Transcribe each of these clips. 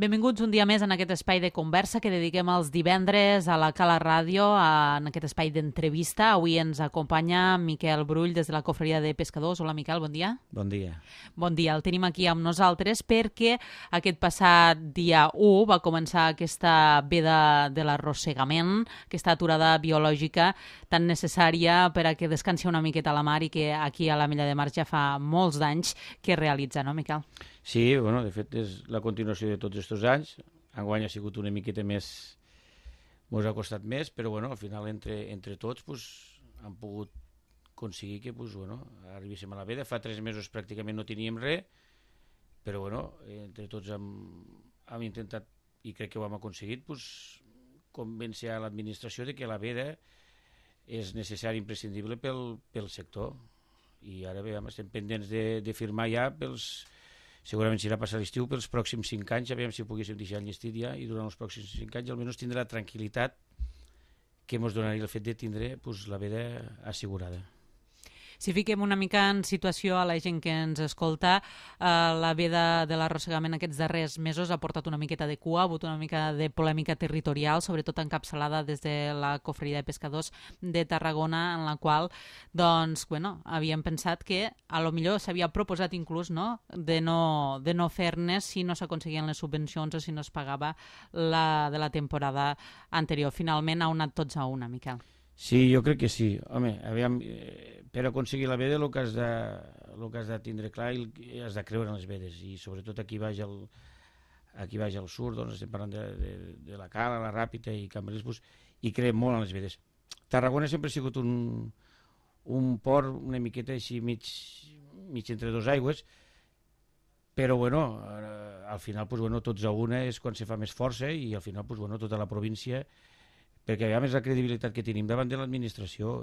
Benvinguts un dia més en aquest espai de conversa que dediquem els divendres a la Cala Ràdio, en aquest espai d'entrevista. Avui ens acompanya Miquel Brull des de la Cofreria de Pescadors. Hola, Miquel, bon dia. Bon dia. Bon dia, el tenim aquí amb nosaltres perquè aquest passat dia 1 va començar aquesta veda de l'arrossegament, aquesta aturada biològica tan necessària per a que descansi una miqueta a la mar i que aquí a l'Ametlla de Mar ja fa molts d'anys que realitza, no, Miquel? Sí, bueno, de fet és la continuació de tots aquests anys. Enguany ha sigut una miqueta més, ens ha costat més, però bueno, al final entre tots pues, han pogut aconseguir que pues, bueno, arribéssim a la veda. Fa 3 mesos pràcticament no teníem res, però bueno, entre tots hem intentat, i crec que ho hem aconseguit, pues, convèncer a l'administració de que la veda és necessari i imprescindible pel sector. I ara veiem, estem pendents de firmar ja segurament serà passar l'estiu pels pròxims 5 anys, a veure si ho poguéssim deixar enllestit ja, i durant els pròxims 5 anys almenys tindrà la tranquil·litat que ens donaria el fet de tindre pues, la veda assegurada. Si fiquem una mica en situació a la gent que ens escolta, la veda de l'arrossegament aquests darrers mesos ha portat una miqueta de cua, ha hagut una mica de polèmica territorial, sobretot encapçalada des de la Cofreria de Pescadors de Tarragona, en la qual doncs, bueno, havíem pensat que a lo millor s'havia proposat inclús de no fer-ne si no s'aconseguien les subvencions o si no es pagava la de la temporada anterior. Finalment ha anat tots a una, Miquel. Sí, jo crec que sí. Home, aviam, per aconseguir la veda el que has de tindre clar i has de creure en les vedes, i sobretot aquí baix al sud, doncs estem parlant de la Cala, la Ràpita i Cambrils, pues, i creiem molt en les vedes. Tarragona sempre ha sigut un port una miqueta així mig entre dos aigües, però bueno, al final pues, bueno, tots a una és quan se fa més força, i al final pues, bueno, tota la província, perquè a més la credibilitat que tenim davant de l'administració,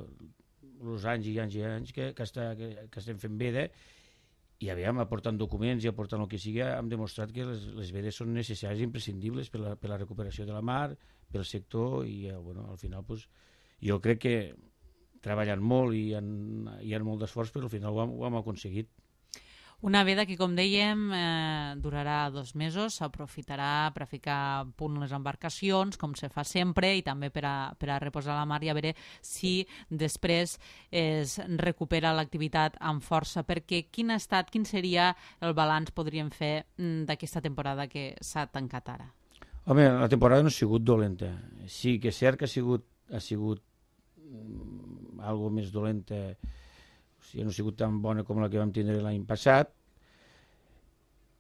els anys i anys i anys que estem fent veda, i aviam, aportant documents i aportant el que sigui, hem demostrat que les vedes són necessàries i imprescindibles per la recuperació de la mar, pel sector, i bueno, al final pues, jo crec que treballant molt i hi ha molt d'esforç, però al final ho hem aconseguit. Una veda que, com dèiem, durarà 2 mesos, s'aprofitarà per a ficar a punt les embarcacions, com se fa sempre, i també per a reposar la mar i a veure si després es recupera l'activitat amb força. Perquè quin seria el balanç podríem fer d'aquesta temporada que s'ha tancat ara? Home, la temporada no ha sigut dolenta. Sí que és cert que ha sigut algo més dolenta, o sigui, no ha sigut tan bona com la que vam tindre l'any passat,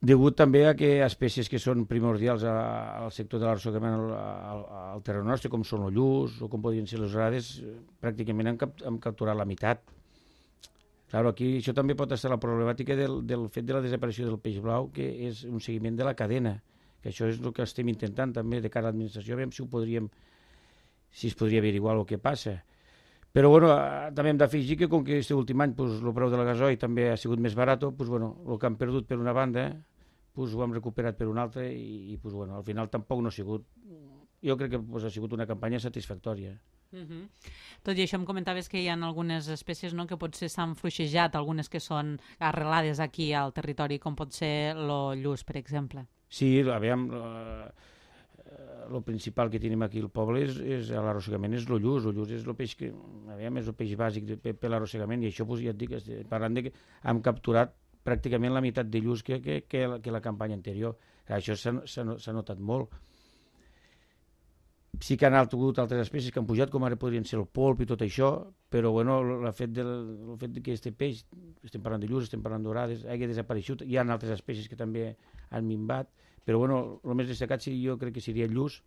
degut també a que espècies que són primordials al sector de l'arrossegament al terreny nostre, com són el lluç o com podrien ser les orades, pràcticament hem capturat la meitat. Claro, aquí això també pot estar la problemàtica del fet de la desaparició del peix blau, que és un seguiment de la cadena, que això és el que estem intentant també de cara a l'administració, a veure si es podria averiguar el que passa. Però bueno, també hem d'afegir que com que aquest últim any el preu del gasoil també ha sigut més barat, el que hem perdut per una banda ho hem recuperat per una altra, i al final tampoc no ha sigut, jo crec que ha sigut una campanya satisfactòria. Tot i això em comentaves que hi ha algunes espècies que potser s'han fluixejat, algunes que són arrelades aquí al territori, com pot ser el lluç, per exemple. Sí, aviam, el principal que tenim aquí al poble és l'arrossegament, és el lluç. El lluç és el peix que, aviam, és el peix bàsic per l'arrossegament, i això ja et dic, parlant de que hem capturat pràcticament la meitat de lluç que la campanya anterior. Això s'ha notat molt. Sí que han hagut altres espècies que han pujat, com ara podrien ser el polp i tot això, però bueno, el fet que aquest peix, estem parlant de lluç, estem parlant d'orades, hagi desapareixut. Hi ha altres espècies que també han minvat, però bueno, el més destacat jo crec que seria el lluç.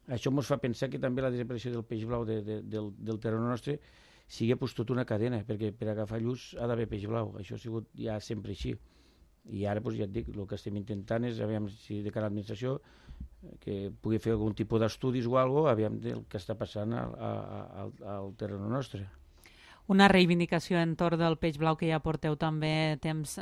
Això ens fa pensar que també la desaparició del peix blau del terreny nostre sigui tota una cadena, perquè per agafar lluç ha d'haver peix blau. Això ha sigut ja sempre així. I ara, ja et dic, el que estem intentant és, aviam si de cara a l'administració, que pugui fer algun tipus d'estudis o alguna cosa, aviam del que està passant al terreny nostre. Una reivindicació entorn del peix blau que ja porteu també temps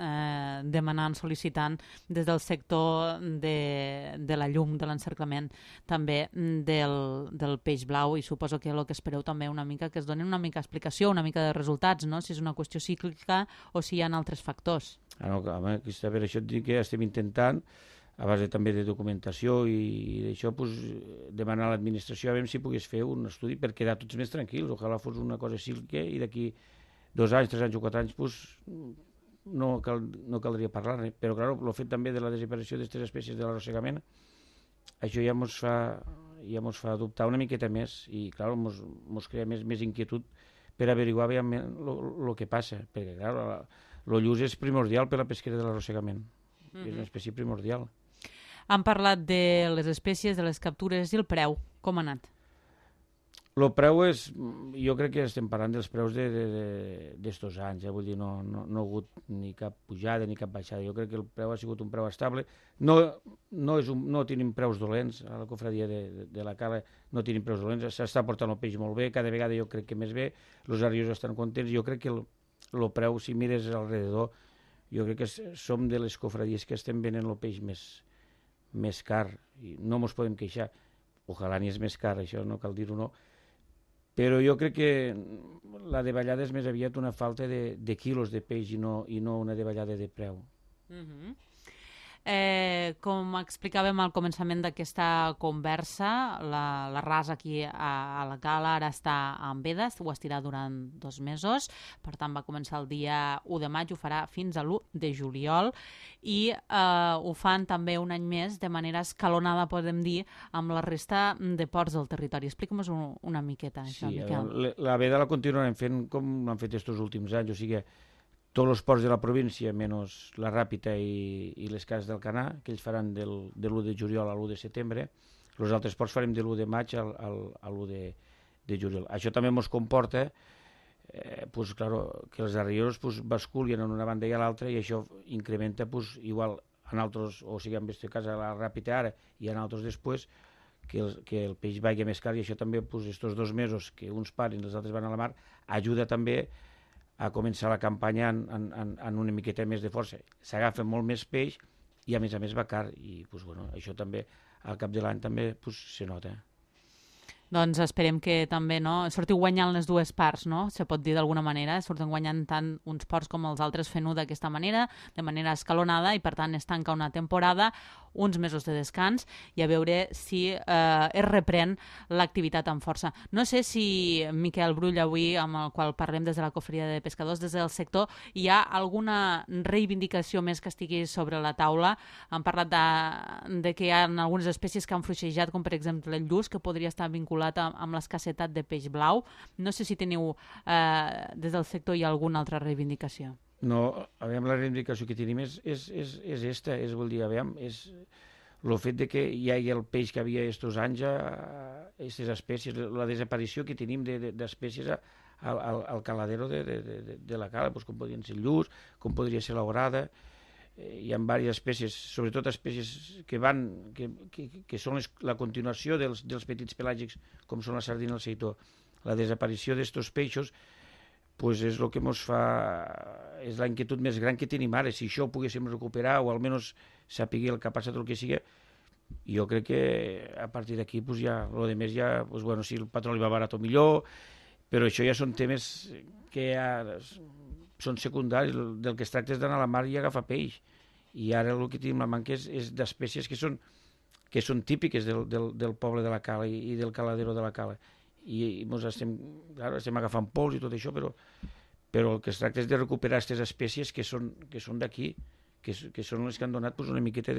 demanant, sol·licitant des del sector de la llum, de l'encerclament també del peix blau, i suposo que el que espereu també una mica que es doni una mica explicació, una mica de resultats, no? Si és una qüestió cíclica o si hi ha altres factors. Home, per això et dic que estem intentant a base també de documentació i d'això, pues, demanar a l'administració a veure si pogués fer un estudi per quedar tots més tranquils. Ojalà fos una cosa així i d'aquí 2 anys, 3 anys o 4 anys pues, no caldria parlar, però clar, el fet també de la desaparició d'aquestes espècies de l'arrossegament, això ja mos fa dubtar una miqueta més i clar, mos crea més inquietud per averiguar el que passa, perquè clar, el lluç és primordial per la pesquera de l'arrossegament, és una espècie primordial. Han parlat de les espècies, de les captures i el preu, com ha anat? El preu és, jo crec que estem parlant dels preus d'estos anys, vull dir, no ha hagut ni cap pujada ni cap baixada, jo crec que el preu ha sigut un preu estable, no tenim preus dolents, a la cofradia de la Cala no tenim preus dolents, s'està portant el peix molt bé, cada vegada jo crec que més bé, els arrios estan contents, jo crec que el preu, si mires alrededor, jo crec que som de les cofradies que estem venent el peix més car, i no ens podem queixar, ojalà ni és més car, això no cal dir-ho, no, però jo crec que la davallada és més aviat una falta de quilos de peix i no una davallada de preu. Com explicàvem al començament d'aquesta conversa, la rasa aquí a la Cala ara està en vedes, ho estirà durant 2 mesos, per tant va començar el dia 1 de maig, ho farà fins a l'1 de juliol i ho fan també un any més de manera escalonada, podem dir, amb la resta de ports del territori. Explica'm-nos una miqueta, això, Miquel. La veda la continuarem fent com l'han fet estos últims anys, o sigui, tots els ports de la província, menys la Ràpita i les cases del Canà, que ells faran de l'1 de juliol a l'1 de setembre. Els altres ports farem de l'1 de maig a l'1 de juliol. Això també ens comporta pues, claro, que els arrieros pues, basculien en una banda i a l'altra i això incrementa pues, igual en altres, o sigui, en aquest cas a la Ràpita ara i en altres després, que el peix vagi més car i això també, pues, estos 2 mesos que uns paren i els altres van a la mar, ajuda també a començar la campanya en una miqueta més de força. S'agafa molt més peix i a més va car i pues, bueno, això també al cap de l'any també pues, se nota. Doncs esperem que també sortiu guanyant les dues parts, no? Se pot dir d'alguna manera, surten guanyant tant uns ports com els altres fent-ho d'aquesta manera, de manera escalonada, i per tant es tanca una temporada, uns mesos de descans, i a veure si es reprèn l'activitat amb força. No sé si Miquel Brull, avui, amb el qual parlem des de la Cofreria de Pescadors, des del sector, hi ha alguna reivindicació més que estigui sobre la taula. Han parlat de que hi ha algunes espècies que han fluixejat, com per exemple el lluç, que podria estar vinculat amb l'escassetat de peix blau. No sé si teniu des del sector hi ha alguna altra reivindicació. No, a veure, la reivindicació que tenim és esta, vol dir, a veure, és el fet de que hi hagi el peix que havia estos anys, aquestes espècies, la desaparició que tenim d'espècies al caladero de la Cala, com podrien ser el lluç, com podria ser l'orada. Hi ha diverses espècies, sobretot espècies que són la continuació dels petits pelàgics, com són la sardina i el seitó. La desaparició d'aquests peixos pues és el que ens fa, és la inquietud més gran que tenim ara. Si això ho poguéssim recuperar o almenys saber el que ha passat o el que sigui, jo crec que a partir d'aquí pues ja, el de més ja, pues bueno, si el petroli va barat o millor, però això ja són temes que ja són secundaris, del que es tracta és d'anar a la mar i agafar peix, i ara el que tenim la manca és d'espècies que són típiques del poble de la Cala i del caladero de la Cala, i ens estem agafant pols i tot això, però el que es tracta és de recuperar aquestes espècies que són d'aquí, que són les que han donat una miqueta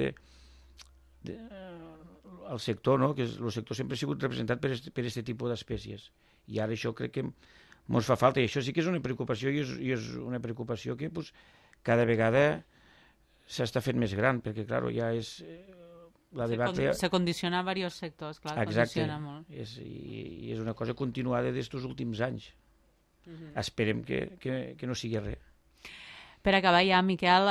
al sector, no? Que el sector sempre ha sigut representat per aquest tipus d'espècies, i ara això crec que ens fa falta, i això sí que és una preocupació, i és una preocupació que cada vegada s'està fent més gran, perquè clar, ja és la debat... Se condiciona a diversos sectors, clar, condiciona molt. I és una cosa continuada d'estos últims anys. Esperem que no sigui res. Per acabar ja, Miquel,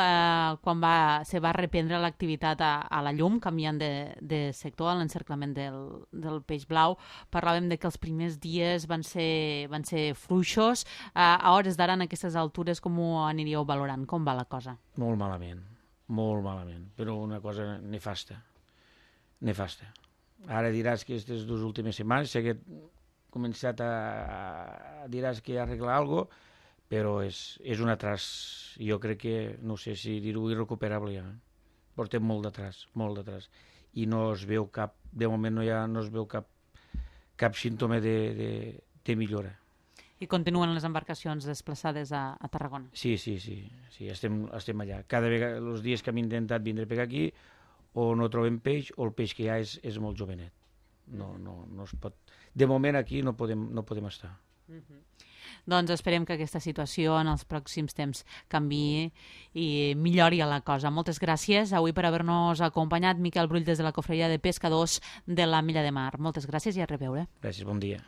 quan se va reprendre l'activitat a la llum, canviant de sector, a l'encerclament del peix blau, parlàvem de que els primers dies van ser fluixos. A hores d'ara, en aquestes altures, com ho aniríeu valorant? Com va la cosa? Molt malament, però una cosa nefasta. Ara diràs que aquestes 2 últimes setmanes s'ha començat diràs que arreglar alguna cosa, però és un atras. Jo crec que, no sé si dir-ho, irrecuperable ja. portem molt d'atràs, i no es veu cap, de moment no es veu cap símptoma de millora. I continuen les embarcacions desplaçades a Tarragona? Sí, estem allà. Cada vegada, els dies que hem intentat vindre per aquí, o no trobem peix, o el peix que hi ha és molt jovenet. No es pot... De moment aquí no podem estar. Doncs esperem que aquesta situació en els pròxims temps canviï i millori la cosa. Moltes gràcies avui per haver-nos acompanyat, Miquel Brull, des de la Cofreria de Pescadors de la Milla de Mar. Moltes gràcies i a reveure. Gràcies, bon dia.